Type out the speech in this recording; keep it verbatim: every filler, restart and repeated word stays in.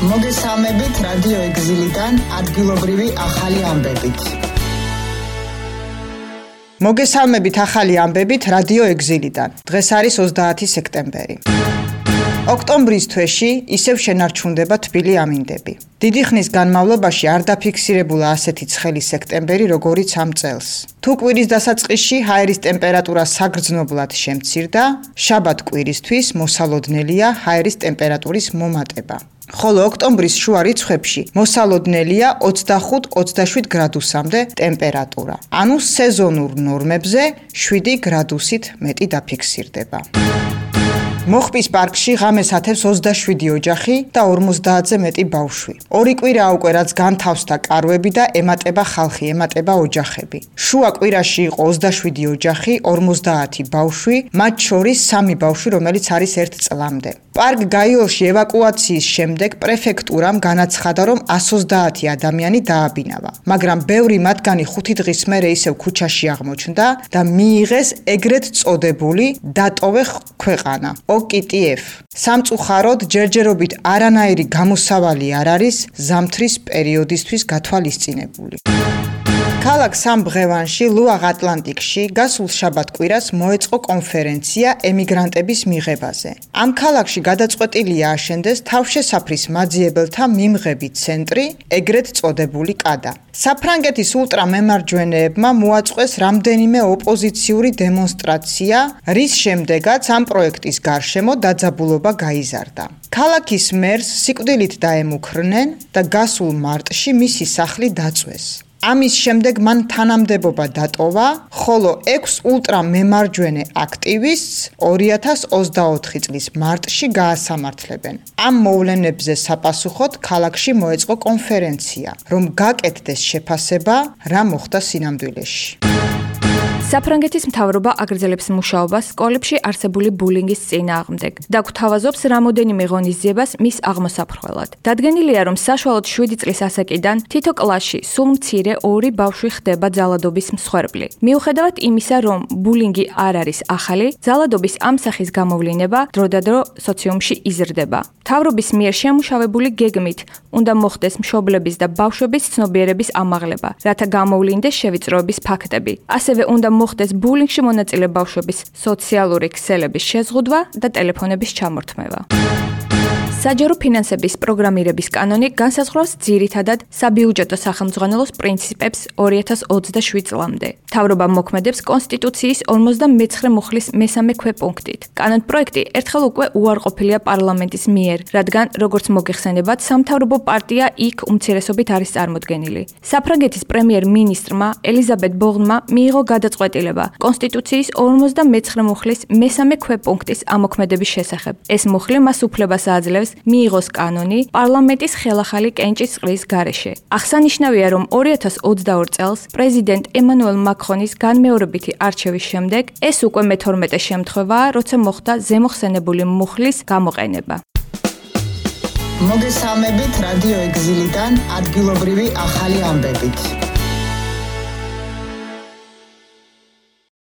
მოგესალმებით რადიო ეგზილიდან ადგილობრივი ახალი ამბებით. მოგესალმებით ახალი ამბებით რადიო ეგზილიდან. დღეს არის ოცდაათი სექტემბერი. ოქტომბრის თვეში ისევ შენარჩუნდება თბილი ამინდები. დიდი ხნის განმავლობაში არ დაფიქსირებულა ასეთი ცხელი სექტემბერი, როგორიც ამ წელს. თუ კვირის დასაწყისში ჰაერის ტემპერატურა საგრძნობლად შემცირდა, შაბათ კვირისთვის მოსალოდნელია ჰაერის ტემპერატურის მომატება. ხოლო ოქტომბრის შუა რიცხვებში მოსალოდნელია ოცდახუთ ოცდაშვიდ გრადუსამდე ტემპერატურა. ანუ სეზონურ ნორმებზე შვიდი გრადუსით მეტი დაფიქსირდება. მოხპის პარკში ღამეს ათევს ოცდაშვიდი ოჯახი და ორმოცდაათზე მეტი ბავშვი. ორი კვირა უკვე რაც განთავსდა კარვები და ემატება ხალხი, ემატება ოჯახები. შუა კვირაში იყო ოცდაშვიდი ოჯახი, ორმოცდაათი ბავშვი, მათ შორის სამი ბავშვი, რომელიც არის ერთ წლამდე. პარკ გაიოლში ევაკუაციის შემდეგ პრეფექტურამ განაცხადა, რომ εκατს ოცდაათი ადამიანი დააბინავა, მაგრამ ბევრი მათგანი ხუთი დღის მერე ისევ ქუჩაში აღმოჩნდა და მიიღეს ეგრეთ წოდებული დატოვე ქვეყანა. ო კი ტი ეფ. სამწუხაროდ ჯერჯერობით არანაირი გამოსავალი არ არის ზამთრის პერიოდისთვის გათვალისწინებული. ქალაქ სამბღევანში, ლუაღ ატლანტიკში, გასულ შაბათ კვირას მოეწყო კონფერენცია ემიგრანტების მიღებაზე. ამ ქალაქში გადაწყვეტილია აშენდეს თავშესაფრის მაძიებელთა მიმღები ცენტრი, ეგრეთ წოდებული კადა. საფრანგეთის ულტრამემარჯვენეებმა მოაწყვეს რამდენიმე ოპოზიციური დემონსტრაცია, რის შემდეგაც ამ პროექტის გარშემო დაძაბულობა გაიზარდა. ქალაქის მერს სიკვდილით დაემუქრნენ და გასულ მარტში მისი სახლი დაწვეს. ამის შემდეგ მან თანამდებობა დატოვა, ხოლო ექვს ულტრამემარჯვენე აქტივისტს ორი ათას ოცდაოთხი წლის მარტში გაასამართლებენ. ამ მოვლენებზე საპასუხოდ ქალაქში მოეწყო კონფერენცია, რომ გაკეთდეს შეფასება, რა მოხდა სინამდვილეში. საფრანგეთის მთავრობა აგრძელებს მუშაობას სკოლებში არსებული ბულინგის წინააღმდეგ და გვთავაზობს რამოდენიმე ღონისძიებას მის აღმოსაფრხველად. დადგენილია, რომ საშუალოდ შვიდი წლის ასაკიდან თითო კლასში სულ მცირე ორი ბავშვი ხდება ძალადობის მსხვერპლი. მიუხედავად იმისა, რომ ბულინგი არ არის ახალი, ძალადობის ამ სახის გამოვლინება დროდადრო სოციუმში იზრდება. მთავრობის მიერ შემუშავებული გეგმით უნდა მოხდეს მშობლების და ბავშვების ცნობიერების ამაღლება, რათა გამოვლინდეს შევიწროების ფაქტები. ასევე უნდა მოხდეს ბულინგში მონაწილე ბავშვების სოციალური ქსელების შეზღუდვა და ტელეფონების ჩამორთმევა. საჯარო ფინანსების პროგრამირების კანონი განსაზღვრავს ძირითადად საბიუჯეტო სახელმძღვანელოს პრინციპებს ორი ათას ოცდაშვიდ წლამდე. მთავრობა მოქმედებს კონსტიტუციის ორმოცდამეცხრე მუხლის მესამე ქვეპუნქტით. კანონპროექტი ერთხელ უკვე უარყოფილია პარლამენტის მიერ, რადგან როგორც მოგეხსენებათ, სამთავრობო პარტია იქ უმცირესობით არის წარმოდგენილი. საფრანგეთის პრემიერ-მინისტრმა ელიზაბეთ ბორნმა მიიღო გადაწყვეტილება კონსტიტუციის ორმოცდამეცხრე მუხლის მესამე ქვეპუნქტის ამოქმედების შესახებ. ეს მუხლი მას უფლებას აძლევს მიიღოს კანონი პარლამენტის ხელახალი კენჭის წყლის გარეშე. აღსანიშნავია, რომ ორი ათას ოცდაორ წელს პრეზიდენტ ემანუელ მაკრონის განმეორებითი არჩევის შემდეგ ეს უკვე მეთორმეტე შემთხვევაა, როცა მოხდა ზემოხსენებული მუხლის გამოყენება. მოგესალმებით რადიო ეგზილიდან ადგილობრივი ახალი ამბებით.